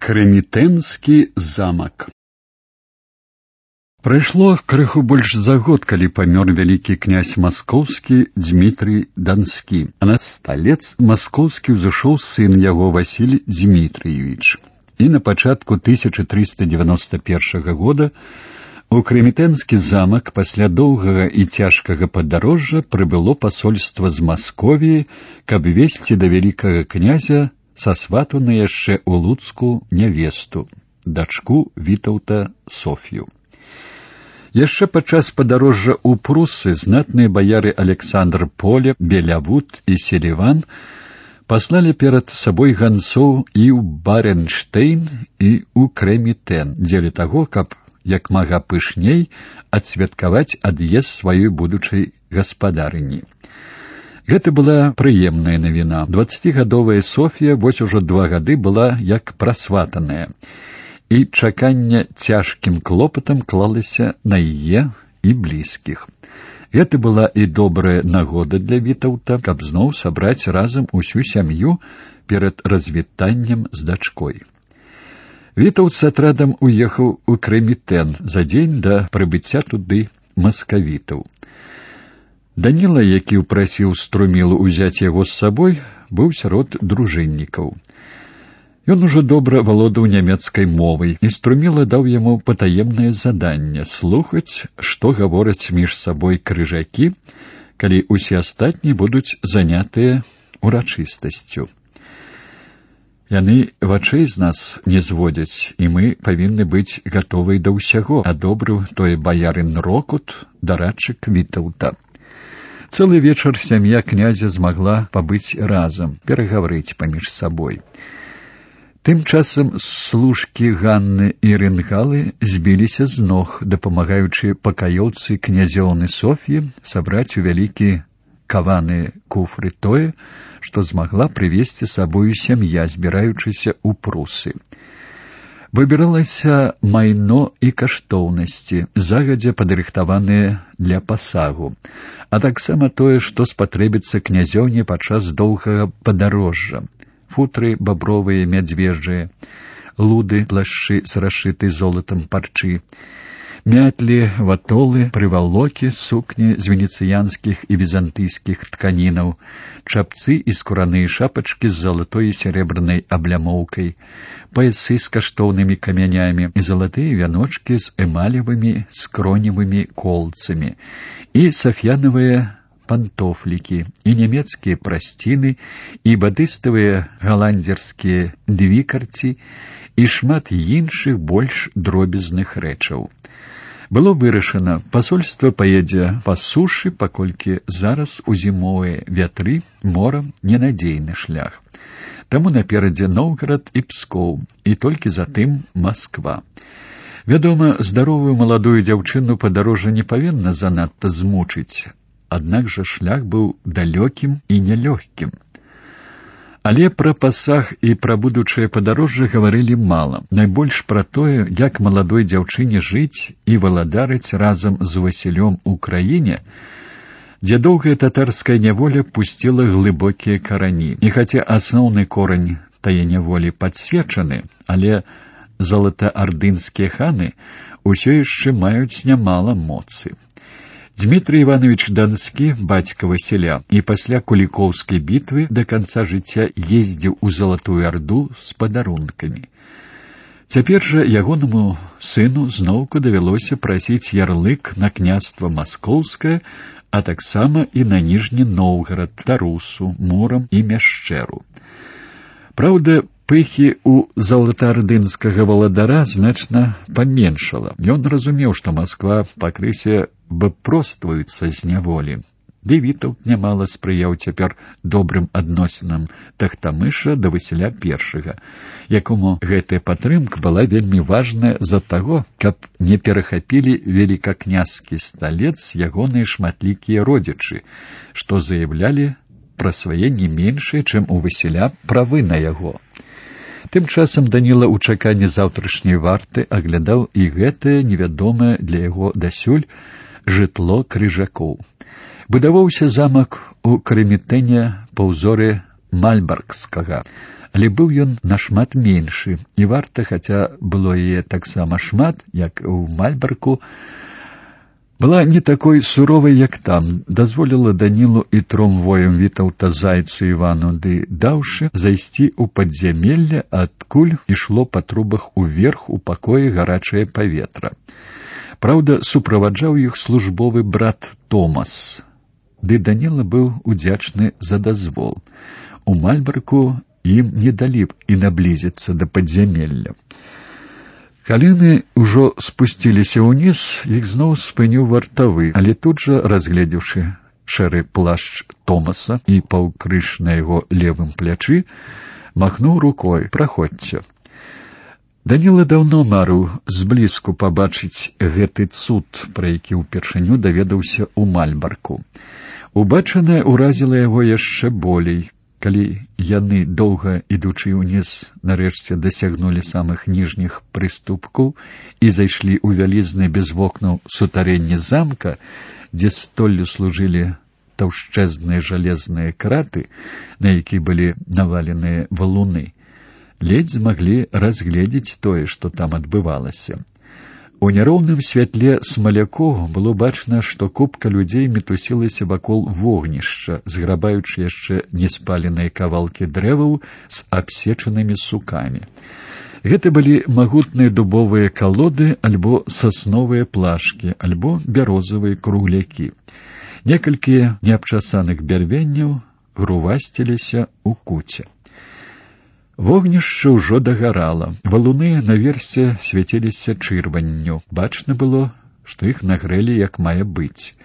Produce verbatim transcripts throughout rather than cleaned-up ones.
Крэмітэнскі замак. Прайшло крыху больш за год, калі памёр вялікі князь маскоўскі Дзмітрый Данскі, а на сталец маскоўскі ўзышоў сын яго Васіль Дзмітрыевіч. І на пачатку тысяча трыста дзевяноста першага года у Крэмітэнскі замак пасля доўгага і цяжкага падарожжа прыбыло пасольства з Масковіі, каб весці да вялікага князя сасватану яшчэ ў Луцку нявесту, дачку Вітаўта Соф'ю. Яшчэ падчас падарожжа ў Прусы знатныя баяры Александр Поле, Белявуд і Селіван паслалі перад сабой ганцоў і ў Баренштейн, і ў Крэмітэн, дзеля таго, каб як мага пышней адсвяткаваць ад'езд сваёй будучай гаспадарыні. Гэта была прыемная навіна. Дваццацігадовая Соф'я вось ужо два гады была як прасватаная, і чаканне цяжкім клопатам клалася на яе і блізкіх. Гэта была і добрая нагода для Вітаўта, каб зноў сабраць разам усю сям'ю перад развітаннем з дачкой. Вітаўт з атрадам уехаў у Крэмітэн за дзень да прыбыцця туды маскавітаў. Даніла, які ўпрасіў Струмілу ўзяць яго з сабой, быў сярод дружыннікаў. Ён ужо добра валодаў нямецкай мовай, і Струміла даў яму патаемнае заданне слухаць, што гавораць між сабой крыжакі, калі ўсе астатнія будуць занятыя урачыстасцю. Яны вачэй з нас не зводзяць, і мы павінны быць гатовыя да ўсяго, адобрыў тое баярын Рокут, дарадчык Вітаўта. Цэлы вечар сям'я князя змагла пабыць разам, перагаварыць паміж сабой. Тым часам служкі Ганны і Рынгалы збіліся з ног, дапамагаючы пакаёўцы князёўны Соф'і сабраць у вялікі каваны куфры тое, што змагла прывезці сабою сям'я, збіраючыся ў Прусы. Выбіралася майно і каштоўнасці, загадзя падрыхтаваныя для пасагу, а таксама тое, што спатрэбіцца князёўне падчас доўгага падарожжа: футры бабровыя, мядзвежжыя, луды, плашчы з расшытай золатам парчы, мятлі, ватолы, прывалокі, сукні з венецыянскіх і візантыйскіх тканінаў, чапцы і скураныя шапачкі з залатой і серебранай аблямоўкай, паясы з каштоўнымі камянямі і залатыя вяночкі з эмалевымі скроневымі колцамі, і сафьянавыя пантофлікі, і нямецкія прасціны, і бадыставыя галандзерскія двікарці, і шмат іншых больш дробязных рэчаў. Было вырашана, пасольства паедзе па сушы, паколькі зараз у зімовыя вятры морам ненадзейны шлях. Таму наперадзе Новгарад і Пскоў, і толькі затым Масква. Вядома, здаровую маладую дзяўчыну падарожжа не павінна занадта змучыць, аднак жа шлях быў далёкім і нялёгкім. Але пра пасаг і пра будучае падарожжа гаварылі мала. Найбольш пра тое, як маладой дзяўчыне жыць і валадарыць разам з Васілём у краіне, дзе доўгая татарская няволя пусціла глыбокія карані. І хаця асноўны корань тае няволі падсечаны, але залатаардынскія ханы ўсё яшчэ маюць нямала моцы. Дзмітрый Іванович Данскі, бацька Васіля, і пасля Кулікоўскай бітвы да канца жыцця ездзіў у Залатую Арду з падарункамі. Цяпер жа ягонаму сыну зноўку давялося прасіць ярлык на княства Маскоўскае, а таксама і на Ніжні Новгарад, Тарусу, Мурам і Мяшчэру. Праўда, пыхі ў залатаардынскага валадара значна паменшала. Ён разумеў, што Масква пакрысе выпростваюцца з няволі. Ды Вітаўт нямала спрыяў цяпер добрым адносінам Тахтамыша да Васіля першага, якому гэтая падтрымка была вельмі важная з-за таго, каб не перахапілі велікакняскі сталец ягоныя шматлікія родзічы, што заяўлялі пра свае не меншыя, чым у Васіля, правы на яго. Тым часам Даніла ў чаканні заўтрашняй варты аглядаў і гэтае невядомае для яго дасюль жытло крыжакоў. Будаваўся замак у Крэмітэне па ўзоры Мальбаргскага, Але быў ён нашмат меншы, і варта, хаця было яе таксама шмат, як у Мальбарку, была не такой суровай, як там, дазволіла Данілу і тром воям Вітаўта, Зайцу, Івану ды Даўшы зайсці ў падзямелле, адкуль ішло па трубах уверх у пакоі гарачае паветра. Праўда, суправаджаў іх службовы брат Томас, ды Даніла быў удзячны за дазвол. У Мальбарку ім не далі б і наблізіцца да падзямелля. Калі яны ўжо спусціліся ўніз, іх зноў спыніў вартавы, але тут жа, разгледзеўшы шэры плашч Томаса і паўкрыж на яго левым плячы, махнуў рукой: «Праходзьце». Даніла даўно марыў зблізку пабачыць гэты цуд, пра які ўпершыню даведаўся ў Мальбарку. Убачанае ўразіла яго яшчэ болей. Калі яны, доўга ідучы ўніз, нарэшце дасягнулі самых ніжніх прыступкаў і зайшлі ў вялізны без вокнаў сутарэнне замка, дзе столлю служылі таўшчэзныя жалезныя краты, на які былі наваленыя валуны, ледзь змаглі разгледзець тое, што там адбывалася. У няроўным святле смалякоў было бачна, што купка людзей мітусілася вакол вогнішча, зграбаючы яшчэ неспаленыя кавалкі дрэваў з абсечанымі сукамі. Гэта былі магутныя дубовыя калоды альбо сасновыя плашкі, альбо бярозавыя круглякі. Некалькі неабчасаных бярвенняў грувасціліся ў куце. Вогнішча ўжо daгарала. Валуны наверсе свяціліся чырванню. Бачна было, што іх нагрэлі як мае быць.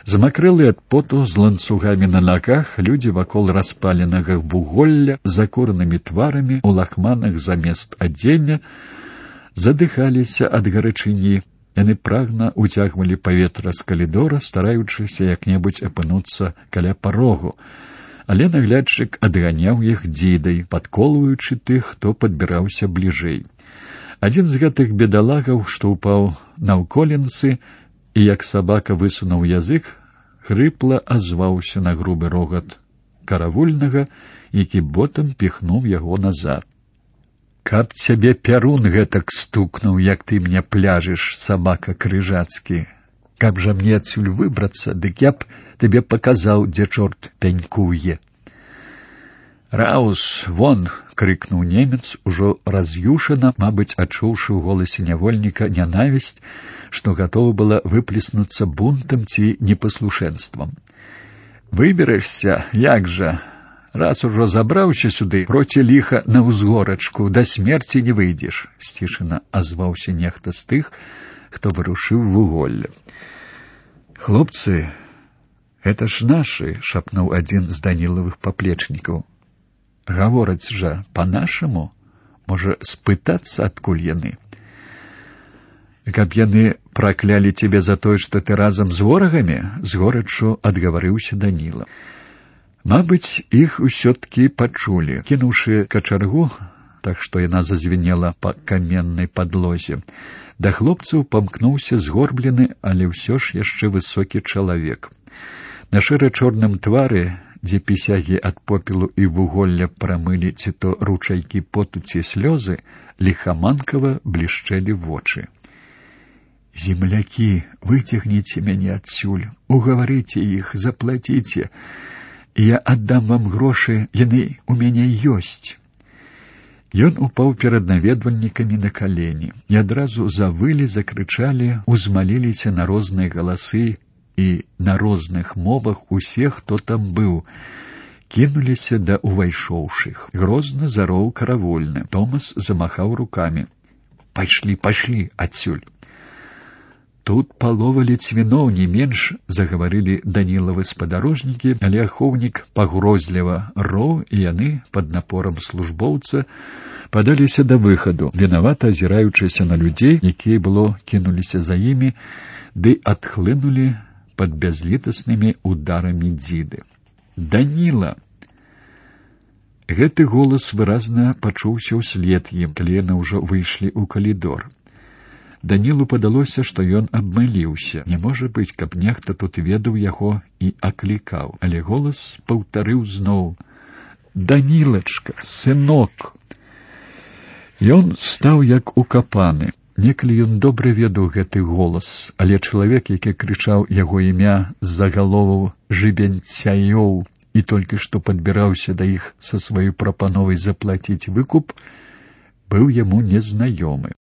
Замакрэлы ад поту, з ланцугамі на нагах, людзі вакол распаленага вуголля, з закуранымі тварамі, у лахманах замест адзення, задыхаліся ад гарачыні. Яны прагна уцягвалі паветра з калідора, стараючыся як-небудзь апынуцца каля парогу. Але наглядчык адганяў іх дзідай, падколваючы тых, хто падбіраўся бліжэй. Адзін з гэтых бедалагаў, што ўпаў наўколенцы, і як сабака высунуў язык, хрыпла азваўся на грубы рогат каравульнага, які ботам піхнуў яго назад. «Каб цябе пярун гэтак стукнуў, як ты мне пляжыш, сабака крыжацкі! Каб жа мне адсюль выбрацца, дык я б табе паказаў, дзе чорт пянькуе». «Раус, вон!» — крыкнуў немец, ужо раз'юшана, мабыць, адчуўшы ў голасе нявольніка нянавісць, што гатова была выплеснуцца бунтам ці непаслушэнствам. «Выберешся, як жа? Раз ужо забраўся сюды, проці ліха на ўзгорачку, да смерці не выйдзеш», — сцішана азваўся нехта з тых, хто вырушыў вуголле. «Хлопцы, это ж нашы», — шапнуў адзін з Данілавых паплечнікаў. «Гавораць жа па-нашаму, можа, спытацца, адкуль яны?» «Каб яны праклялі цябе за тое, што ты разам з ворагамі?» — з горачу адгаварыўся Даніла. Мабыць, іх усё-ткі пачулі. Кінуўшы качаргу, так што яна зазвенела па каменнай падлозе, да хлопцаў памкнуўся згорблены, але ўсё ж яшчэ высокі чалавек. На шэра-чорным твары, дзе пісягі ад попелу і вуголля прамылі ці то ручайкі поту ці слёзы, ліхаманкава блішчэлі вочы. «Землякі, выцягніце мяне адсюль, угаварыце іх, заплаціце. Я аддам вам грошы, яны ў мяне ёсць». Ён упаў перад наведвальнікамі на калені, і адразу завылі, закрычалі, узмаліліся на розныя галасы, і на розных мовах усе, хто там быў, кінуліся да ўвайшоўшых. Грозна зароў каравольны. Томас замахаў рукамі. «Пайшлі, пайшлі адсюль». «Тут палова лецвіноў, не менш», — загаварылі Данілавы спадарожнікі, але ахоўнік пагрозліва роў, і яны, пад напорам службоўца, падаліся да выхаду, вінавата азіраючыся на людзей, якія было кінуліся за імі, ды адхлынулі пад бязлітаснымі ударамі дзіды. «Даніла!» Гэты голас выразна пачуўся ўслед ім, калі яны ўжо выйшлі ў калідор. Данілу падалося, што ён абмыліўся. Не можа быць, каб нехта тут ведаў яго і аклікаў. Але голас паўтарыў зноў: Данілачка, сынок!» Ён стаў як укапаны. Некалі ён добра ведаў гэты голас, але чалавек, які крычаў яго імя з-за галоваў жыбенцяёў і толькі што падбіраўся да іх са сваёй прапановай заплаціць выкуп, быў яму незнаёмы.